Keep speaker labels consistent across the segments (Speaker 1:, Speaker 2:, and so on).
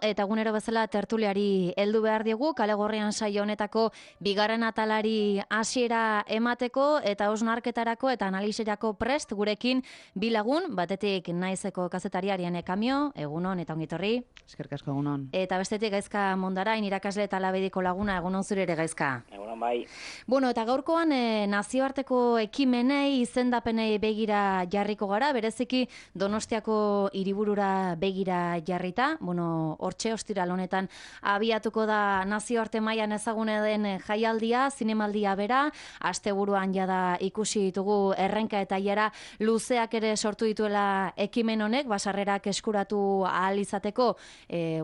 Speaker 1: Eta egunero bezala tertuliari heldu behar diegu, Kale Gorrian saio honetako bigarren atalari hasiera emateko eta hausnarketarako eta analisirako prest gurekin bi lagun, batetik Naizeko kazetari Ariane Kamio, egunon eta ongitorri.
Speaker 2: Eskerrik asko, egunon.
Speaker 1: Eta bestetik Gaizka Mondarain, irakasle eta labediko laguna, egunon zure ere Gaizka.
Speaker 3: Egunon bai.
Speaker 1: Bueno, eta gaurkoan nazioarteko ekimenei, izendapenei begira jarriko gara, bereziki Donostiako hiriburura begira jarrita, bueno, hortxe ostiral honetan abiatuko da nazioarte mailan ezagune den jaialdia, zinemaldia bera, asteburuan jada ikusi ditugu errenka eta jara luzeak ere sortu dituela ekimen honek, basarrerak eskuratu ahal izateko,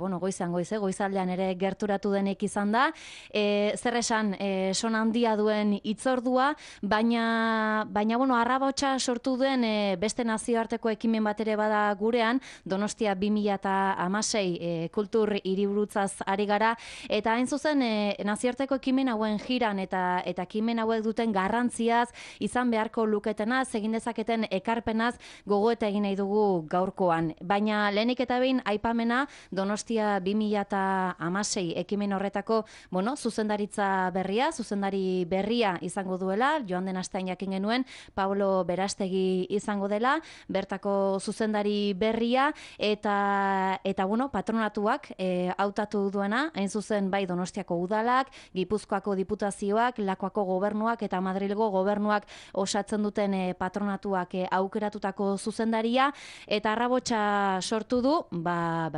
Speaker 1: bueno, goizaldean ere gerturatu denek izan da, zer esan, son handia duen hitzordua, baina bueno, arrabotsa sortu duen beste nazioarteko ekimen bat ere bada gurean, Donostia 2016 kultur hiriburutzaz ari gara, eta hain zuzen nazioarteko ekimen hauen jiran eta ekimen hauek duten garrantziaz, izan beharko luketenaz, egin dezaketen ekarpenaz gogoeta egin nahi dugu gaurkoan. Baina lehenik eta behin aipamena Donostia 2016 ekimen horretako, bueno, zuzendaritza zuzendari berria izango duela, joan den astean jakin genuen, Pablo Berastegi izango dela, bertako zuzendari berria, eta bueno, patronatuak hautatu duena, hain zuzen bai Donostiako udalak, Gipuzkoako diputazioak, Lakuako gobernuak eta Madrilgo gobernuak osatzen duten patronatuak aukeratutako zuzendaria, eta arrabotsa sortu du,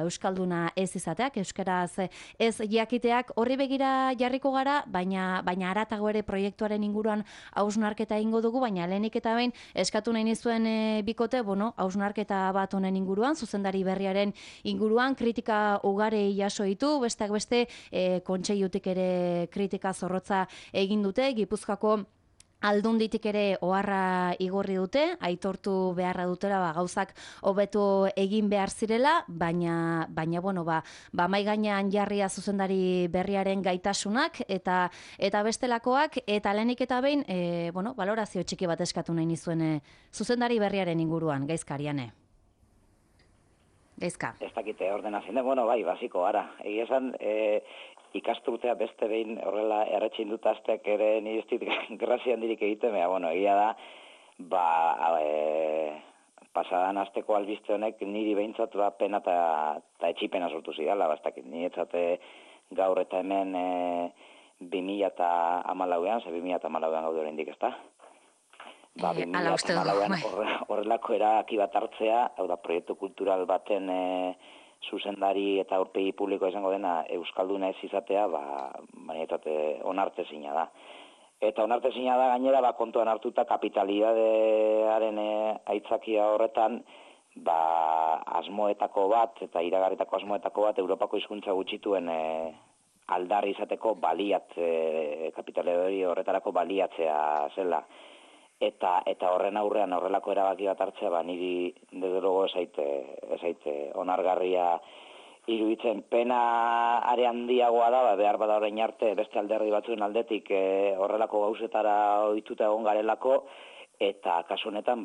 Speaker 1: euskalduna ez izateak, euskaraz ez jakiteak, horri begira jarriko gara, baina haratago ere proiektuaren inguruan hausnarketa egingo dugu, baina lehenik eta behin eskatu nahi nizuen bikote, bueno, hausnarketa bat honen inguruan, zuzendari berriaren inguruan, kritika ugari jaso ditu, besteak beste kontseilutik ere kritika zorrotza egin dute, Gipuzkoako Aldunditik ere oharra igorri dute, aitortu beharra dutela gauzak hobeto egin behar zirela, baina bueno, mai gainean jarria zuzendari berriaren gaitasunak eta bestelakoak, eta lehenik eta behin, bueno, balorazio txiki bat eskatu nahi nizuen zuzendari berriaren inguruan, Gaizkariane. Gaizka.
Speaker 3: Ez dakite ordenazioa, bueno, bai, basiko, ara. Egia esan, ikasturtea beste behin horrela erretxin dut azteak ere nire ez dit grazia handirik egiten, bueno, egia da, pasadan asteko albiste honek niri behintzat pena eta etxipena sortu zidala, bastakit, nire etzate gaur eta hemen 2014an, 2014an gaude oraindik, ezta? 2014an horrelako erabaki bat hartzea, hau da, proiektu kultural baten zuzendari eta aurpegi publikoa izango dena euskalduna ez izatea, baina onartezina da. Eta onartezina da gainera, kontuan hartuta kapitalidadearen aitzakia horretan, asmoetako bat, eta iragarritako asmoetako bat, Europako hizkuntza gutxituen aldarri izateko kapitalidade horretarako baliatzea zela. Eta horren aurrean horrelako erabaki bat hartzea, niri desde luego esaite onargarria iruditzen. Pena are handiagoa da, behar bada orain arte beste alderdi batzuen aldetik horrelako gauzetara ohituta egon garelako, eta kasu honetan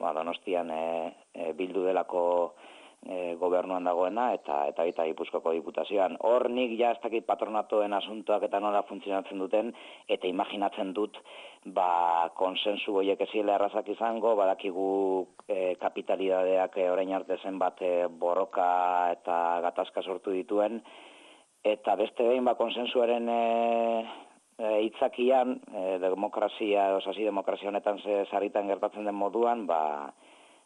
Speaker 3: Donostian bildu delako gobernuan dagoena eta baita Gipuzkoako diputazioan. Hor nik ez dakit patronatoen asuntoak eta nola funtzionatzen duten, eta imaginatzen dut konsensu horiek eziela errazak izango, badakigu kapitalidadeak orain arte zenbat borroka eta gatazka sortu dituen, eta beste behin konsensuaren hitzakian, demokrazia honetan sarritan gertatzen den moduan,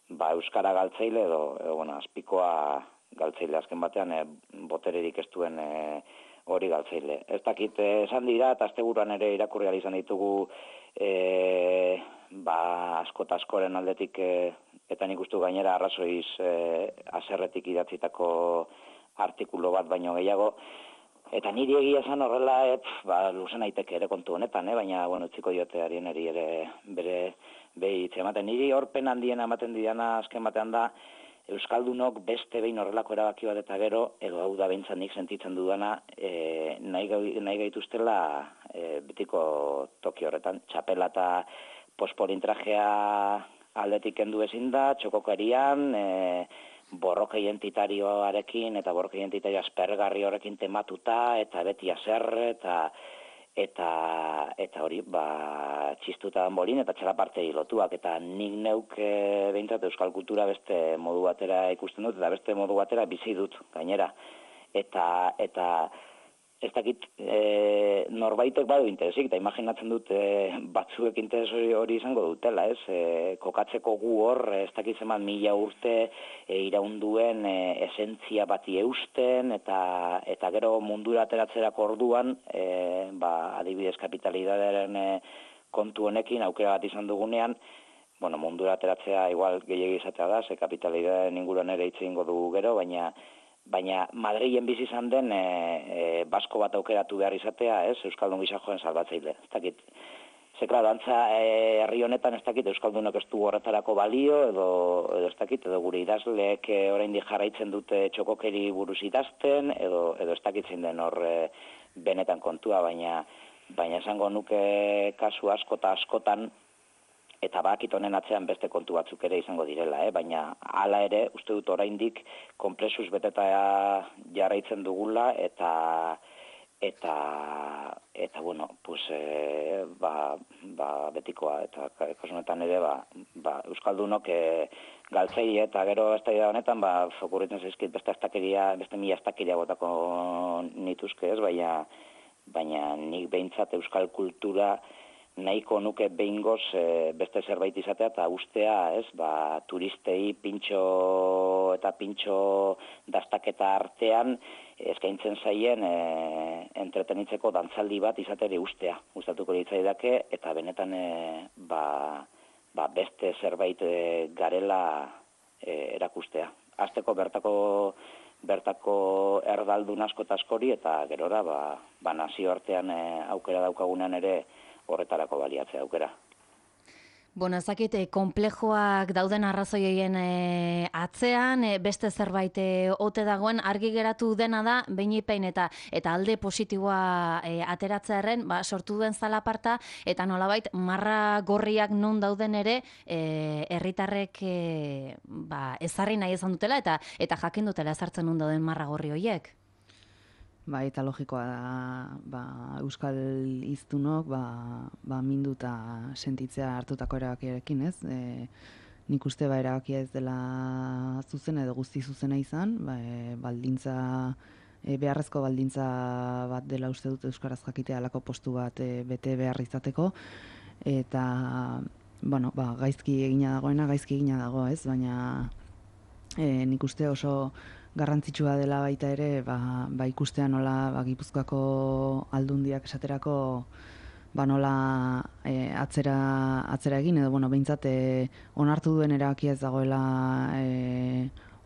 Speaker 3: euskara galtzeile edo azpikoa galtzeile, azken batean botererik ez duen hori galtzeile. Ez dakit esan dira, eta asteburuan ere irakurri ahal izan ditugu asko eta askoren aldetik, eta nik uste gainera arrazoiz haserretik idatzitako artikulu bat baino gehiago, eta niri egia esan horrela, luzen aiteke ere kontu honetan, baina, utziko diote Arianeri ere bere behitze ematen. Niri horpen handien ematen didana azken batean da, euskaldunok beste behin horrelako erabaki bat eta gero, edo hau da behintzat nik sentitzen dudana, nahi gaituztela betiko toki horretan. Txapela eta pospolintrajea aldetik kendu ezin da, txokokarian, borroka identitarioarekin eta borroka identitario aspergarri horrekin tematuta eta beti haserre eta hori txistuta danbolin eta txalapartei lotuak eta nik neuk behintzat euskal kultura beste modu batera ikusten dut eta beste modu batera bizi dut gainera eta ez dakit norbaitek badu interesik, eta imaginatzen dut batzuek interes hori izango dutela, ez? Kokatzeko gu hor, ez dakit zeman 1000 urte iraunduen esentzia bati eusten, eta gero mundura ateratzerako orduan, adibidez kapitalidadearen kontu honekin, aukera bat izan dugunean, mundura ateratzea igual gehiago izatea da, ze kapitalidadearen inguruan ere hitz egingo dugu gero, baina Madrilen bizi izan den basko bat aukeratu behar izatea, ez, Euskaldun gisa joen salbatzaile. Ez dakit, zekla, dantza herri honetan ez dakit Euskaldunok ez du horretarako balio, edo ez dakit, edo gure idazleek oraindik jarraitzen dute txokokeri buruz idazten, edo ez dakit zein den hor benetan kontua, baina esango nuke kasu asko eta askotan, eta bakit honen atzean beste kontu batzuk ere izango direla, baina hala ere, uste dut oraindik konplexuz beteta jarraitzen dugula, eta betikoa, eta kasunetan ere, Euskaldunok galtzei eta gero ez da honetan, fokurritzen zaizkit beste mila estakeria botako nituzke ez, baina nik behintzat euskal kultura nahiko nuke behingoz beste zerbait izatea eta ustea, ez, turistei pintxo dastaketa artean eskaintzen zaien entretenitzeko dantzaldi bat izateri ustea. Gustatuko litzaidake eta benetan beste zerbait garela erakustea. Hasteko bertako erdaldun asko eta askori eta gerora nazioartean aukera daukagunean ere horretarako baliatzea aukera.
Speaker 1: Ez dakit, konplejoak dauden arrazoien atzean, beste zerbait ote dagoen, argi geratu dena da, behin eta alde positiboa ateratzearen, sortu duen zalaparta, eta nolabait, marra gorriak non dauden ere, herritarrek ezarri nahi izan dutela, eta jakin dutela ezartzen non dauden marra gorri horiek.
Speaker 2: Eta logikoa da, euskal hiztunok, mindu eta sentitzea hartutako erabakiarekin, ez? Nik uste erabakia ez dela zuzena edo guzti zuzena izan, beharrezko baldintza bat dela uste dut euskaraz jakitea halako postu bat bete behar izateko, eta, gaizki egina dago, ez? Baina nik uste oso garrantzitsua dela baita ere, ikustea nola Gipuzkoako aldundiak esaterako nola atzera egin, edo behintzat onartu duen erabakia ez dagoela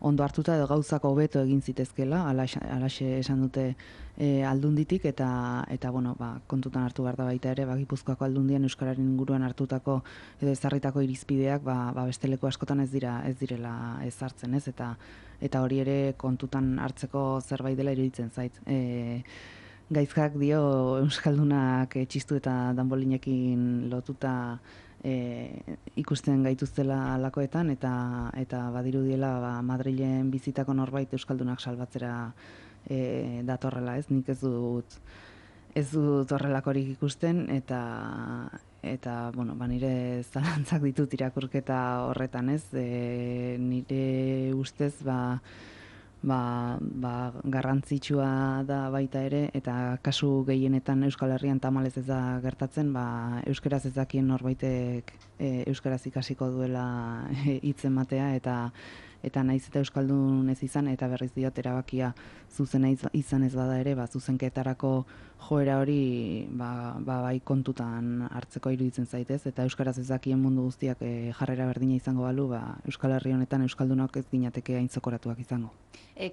Speaker 2: ondo hartuta edo gauzako hobeto egin zitezkela, alaxe esan dute aldunditik, eta kontutan hartu behar da baita ere, Gipuzkoako aldundian euskararen inguruan hartutako edo ezarritako irizpideak beste leku askotan ez direla ezartzen, ez? Eta hori ere kontutan hartzeko zerbait dela iruditzen zait. Gaizkak dio euskaldunak txistu eta danbolinekin lotuta ikusten gaituztela alakoetan, eta badirudiela Madrilen bizitako norbait euskaldunak salbatzera datorrela, ez? Nik ez dut horrelakorik ikusten, eta nire zalantzak ditut irakurketa horretan, ez? Nire ustez, garrantzitsua da baita ere, eta kasu gehienetan Euskal Herrian tamalez ez da gertatzen, euskaraz ez dakien norbaitek euskaraz ikasiko duela hitz ematea, eta naiz eta euskaldun ez izan, eta berriz diot erabakia zuzena izan ez bada ere, zuzenketarako joera hori bai kontutan hartzeko iruditzen zaitez, eta euskaraz ez dakien mundu guztiak jarrera berdina izango balu, Euskal Herri honetan euskaldunok ez ginateke aintzokoratuak izango.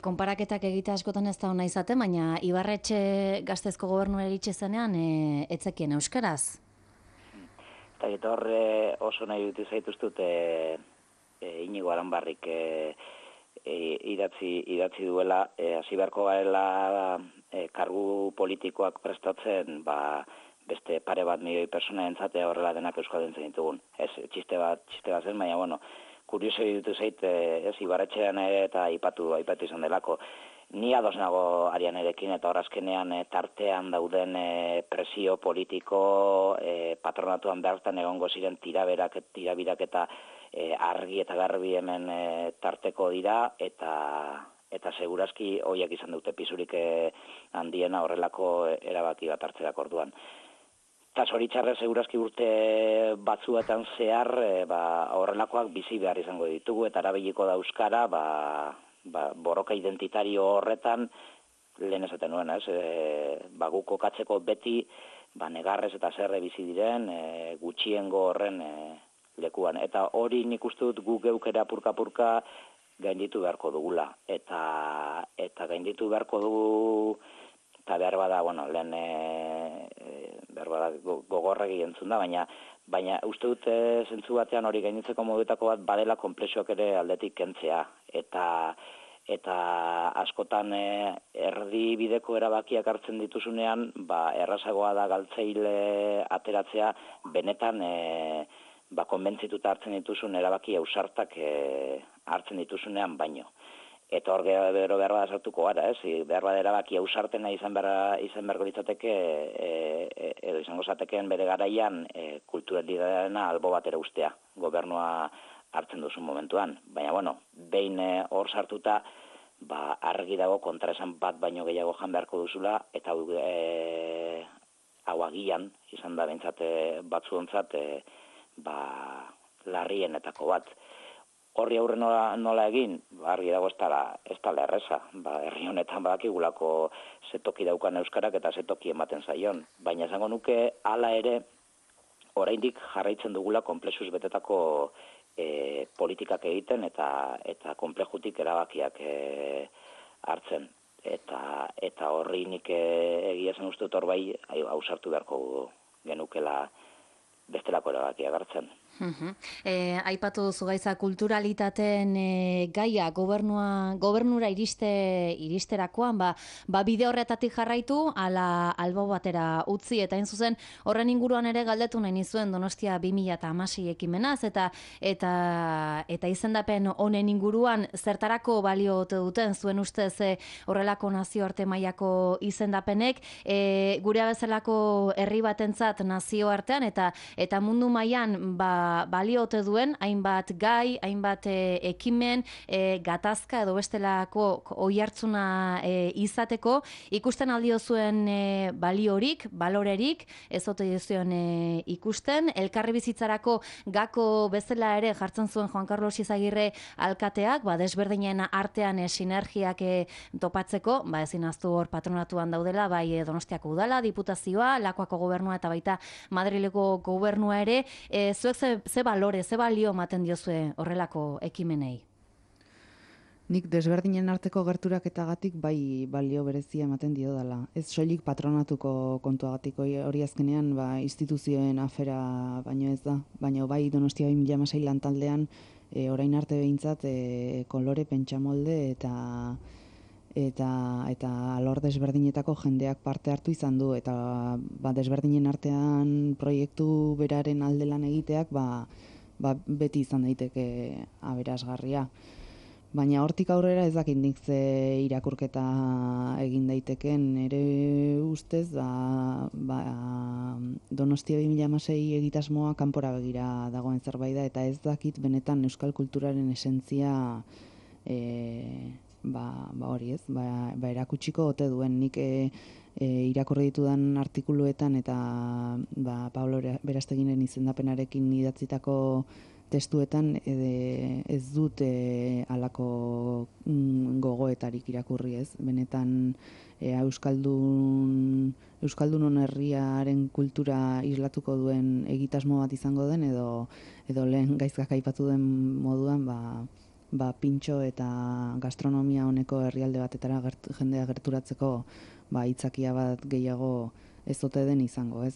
Speaker 1: Konparaketak egitea askotan ez da ona izaten, baina Ibarretxe Gaztezko gobernura iritsi zenean etzekien euskaraz?
Speaker 3: Eta hor oso nahi dut zaituztut Inigo Aranbarrik idatzi duela, hasi beharko garela kargu politikoak prestatzen, beste pare bat milioi persona entzatea horrela denak euskalduntzen ditugun. Ez, txiste bat zen, baina kurioso ditu zait, ez, Ibarretxean eta aipatu izan delako. Ni ados nago Arianerekin eta horazkenean tartean dauden presio politiko, patronatuan bertan egongo ziren tirabirak eta argi eta garbi hemen tarteko dira, eta segurazki hoiak izan dute pisurik handiena horrelako erabaki bat hartzerako orduan. Eta zoritxarrez segurazki urte batzuetan zehar horrelakoak bizi behar izango ditugu, eta erabiliko da euskara, borroka identitario horretan, lehen esaten nuen, gu kokatzeko beti, negarrez eta zerre bizi diren, gutxiengo horren lekuan. Eta hori nik uste dut gu geukera purka-purka gainditu beharko dugula. Eta gainditu beharko dugu, eta behar bada, lehen behar bada gogorregi entzun da, baina uste dut zentzu batean hori gainditzeko modutako bat badela konplexuak ere aldetik kentzea. Eta askotan erdibideko erabakiak hartzen dituzunean, errazagoa da galtzeile ateratzea benetan konbentzituta hartzen dituzun erabaki ausartak hartzen dituzunean baino. Eta hor gero behar bada sartuko gara, behar bada erabaki ausartena izan beharko litzateke, edo izango zatekeen bere garaian kulturalidadeena albo batera ustea, gobernua hartzen duzun momentuan. Baina, behin hor sartuta, argi dago kontraesan bat baino gehiago jan beharko duzula, eta hau agian, izan da behintzat batzuontzat, larrienetako bat. Horri aurre nola egin, argi dago ez dela erreza. Herri honetan badakigulako zetoki daukan euskarak eta zetoki ematen zaion. Baina esango nuke hala ere, oraindik jarraitzen dugula konplexuz betetako politikak egiten eta konplejutik erabakiak hartzen. Eta horri nik egia zen uste dut hor bai ausartu beharko genukela bestelako erabakiak hartzen.
Speaker 1: Aipatu duzu gaitza kulturalitateen gaia gobernura iristerakoan, bide horretatik jarraitu, ala albo batera utzi, eta hain zuzen horren inguruan ere galdetu nahi nizuen Donostia 2016 ekimenaz, eta izendapen honen inguruan zertarako balio ote duten zuen ustez horrelako nazioarte mailako izendapenek, gure bezalako herri batentzat nazioartean eta mundu mailan balio ote duen hainbat gai, hainbat ekimen, gatazka edo bestelako oihartzuna izateko, ikusten aldio zuen baliorik, balorerik, ez ote zuen ikusten, elkarri bizitzarako gako bezala ere jartzen zuen Juan Carlos Izagirre alkateak, desberdinen artean sinergiak topatzeko, ezin ahaztu hor patronatuan daudela, bai Donostiako udala, diputazioa, Lakuako gobernua eta baita Madrileko gobernua ere, zuek ze balore, ze balio ematen diozue horrelako ekimenei?
Speaker 2: Nik desberdinen arteko gerturaketagatik bai balio berezia ematen dio dela. Ez soilik patronatuko kontuagatik hori azkenean instituzioen afera baino ez da, baina bai Donostia 2016 lantaldean orain arte behintzat kolore pentsamolde eta alor desberdinetako jendeak parte hartu izan du, eta desberdinen artean proiektu beraren alde lan egiteak beti izan daiteke aberasgarria. Baina hortik aurrera ez dakit nik ze irakurketa egin daiteken, ere ustez Donostia 2016 egitasmoa kanpora begira dagoen zerbait da, eta ez dakit benetan euskal kulturaren esentzia hori ez, erakutsiko ote duen. Nik irakurri ditudan artikuluetan eta Pablo Berasteginen izendapenarekin idatzitako testuetan ez dut halako gogoetarik irakurri ez. Benetan Euskaldunon herriaren kultura islatuko duen egitasmo bat izango den edo lehen gaizkak aipatu den moduan pintxo eta gastronomia honeko herrialde batetara jendea gerturatzeko hitzakia bat gehiago ez ote den izango, ez?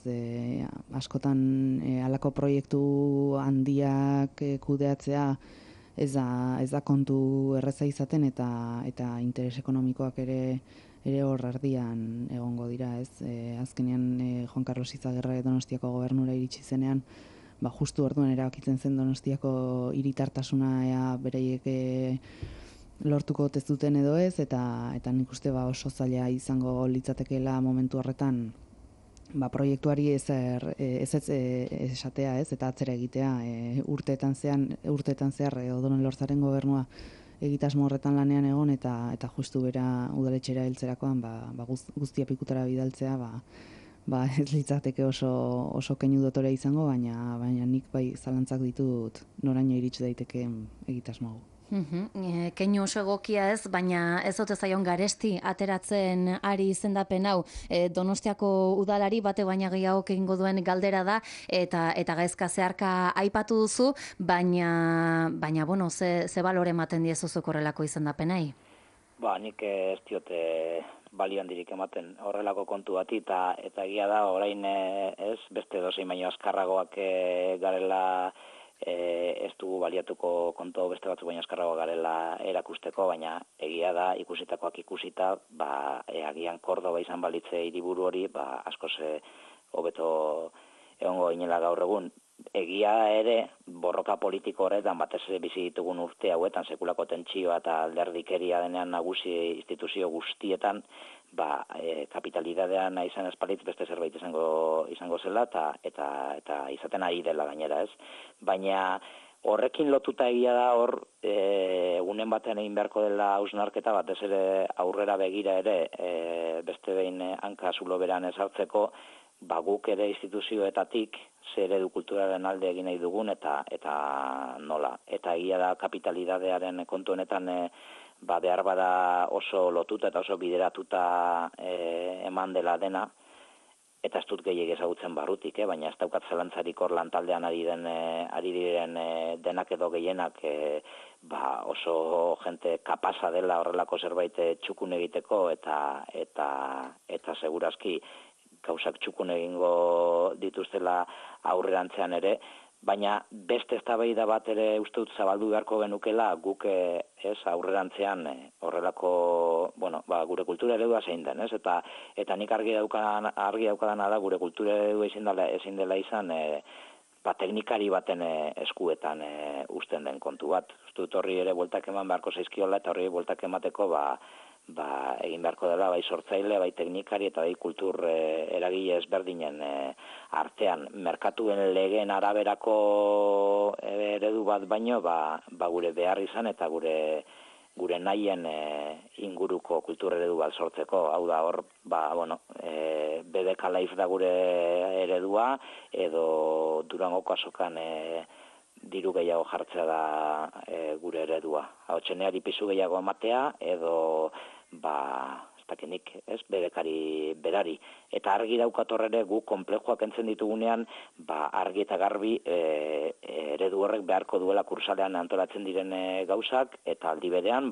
Speaker 2: Askotan halako proiektu handiak kudeatzea ez da kontu erreza izaten eta interes ekonomikoak ere hor erdian egongo dira, ez? Azkenean Juan Carlos Izagirre Donostiako gobernura iritsi zenean, justu orduan erabakitzen zen Donostiako hiritartasuna ea bereiek lortuko ote zuten edo ez, eta nik uste oso zaila izango litzatekeela momentu horretan proiektuari ez esatea, ez, eta atzera egitea. Urteetan zehar Odonen Lorzaren gobernua egitasmo horretan lanean egon, eta justu bera udaletxera heltzerakoan guztia pikutara bidaltzea, ez litzateke oso keinu dotore izango, baina nik bai zalantzak ditut noraino iritsi daitekeen egitasmo hau.
Speaker 1: Keinu oso egokia ez, baina ez ote zaion garesti ateratzen ari izendapen hau. Donostiako udalari bate baina gehiago egingo duen galdera da, eta gaizka zeharka aipatu duzu, baina bueno, ze balore ematen diezu horrelako izendapenei?
Speaker 3: Nik ez diote balio handirik ematen horrelako kontu bati, eta egia da orain ez beste dozein baino azkarragoak garela, ez dugu baliatuko kontu beste batzuk baino azkarrago garela erakusteko, baina egia da ikusitakoak ikusita, agian Kordoba izan balitze hiriburu hori, askoz hobeto egongo ginela gaur egun. Egia ere, borroka politiko horretan, batez bizi ditugun urte hauetan, sekulako tentsioa eta alderdikeria denean nagusi instituzio guztietan, kapitalidadean izan espalitz beste zerbait izango zela, eta izaten ari dela gainera, ez? Baina horrekin lotuta egia da hor, egunen batean egin beharko dela hausnarketa, batez ere aurrera begira ere, beste behin hanka zulo beran ezartzeko, guk ere instituzioetatik zer eredu kulturaren alde egin nahi dugun eta nola. Eta egia da kapitalidadearen kontu honetan behar bada oso lotuta eta oso bideratuta eman dela dena, eta ez dut gehiago ezagutzen barrutik, baina ez daukat zelantzarik hor lantaldean ari diren denak edo gehienak oso jente kapasa dela horrelako zerbait txukun egiteko eta segurazki gauzak txukun egingo dituztela aurrerantzean ere, baina beste eztabaida bat ere uste dut zabaldu beharko genukela guk aurrerantzean horrelako, gure kultura eredua zein den, ez? Eta nik argi daukadana da gure kultura eredua ezin dela izan teknikari baten eskuetan uzten den kontu bat. Uste dut horri ere bueltak eman beharko zaizkiola, eta horri bueltak emateko egin beharko dela bai sortzaile, bai teknikari eta bai kultur eragile ezberdinen artean. Merkatuen legeen araberako eredu bat baino, gure behar izan eta gure nahien inguruko kultur eredu bat sortzeko. Hau da hor, BDK Life da gure eredua, edo Durangoko azokan diru gehiago jartzea da gure eredua. Hotxeneari pisu gehiago ematea, edo ez dakinik, bedekari berari. Eta argi daukat horre gu konplejoak entzen ditugunean, argi eta garbi eredu horrek beharko duela kursalean antolatzen diren gauzak, eta aldi berean,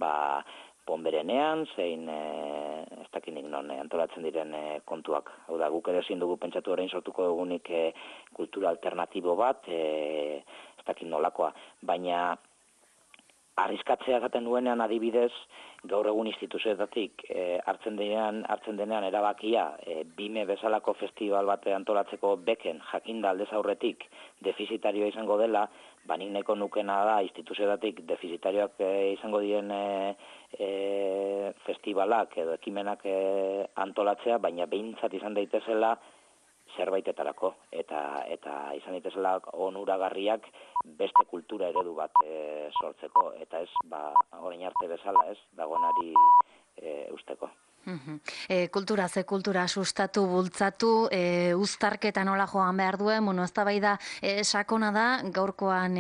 Speaker 3: Ponberenean, zein ez dakinik non antolatzen diren kontuak. Hau da, guk ere ezin dugu pentsatu orain sortuko dugunik kultura alternatibo bat, ez dakit nolakoa. Baina arriskatzea esaten duenean adibidez, gaur egun instituzioetatik hartzen denean erabakia BIME bezalako festival bat antolatzeko beken jakinda aldez aurretik defizitarioa izango dela, nik nahiko nukena da instituzioetatik defizitarioak izango diren festivalak edo ekimenak antolatzea, baina behintzat izan daitezela zerbaitetarako eta izan daitezela onuragarriak beste kultura eredu bat sortzeko, eta ez orain arte bezala ez dagoenari usteko.
Speaker 1: Kultura sustatu, bultzatu, uztarketa nola joan behar duen, eztabaida sakona da, gaurkoan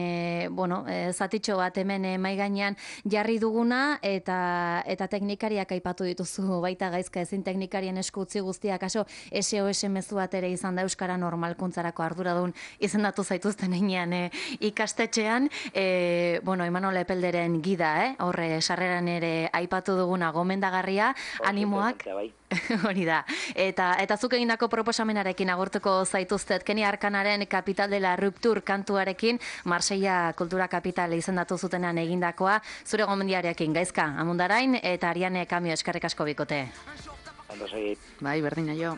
Speaker 1: zatitxo bat hemen mahai gainean jarri duguna, eta teknikariak aipatu dituzu baita gaizka, ezin teknikarien esku utzi guztiak, kaso SOS mezu bat ere izan da Euskara normalkuntzarako arduradun izendatu zaituzten heinean ikastetxean, Imanol Epelderen gida, horre sarreran ere aipatu duguna gomendagarria, animoak, hori da, eta zuk egindako proposamenarekin agurtuko zaituztet, Keni Arkanaren Capital de la Rupture kantuarekin, Marseilla Kultura Kapitale izendatu zutenan egindakoa, zure gomendiarekin gaizka, Amundarain, eta Ariane Kamio eskerrik asko bikote.
Speaker 3: Ondo segi.
Speaker 2: Bai, berdina jo.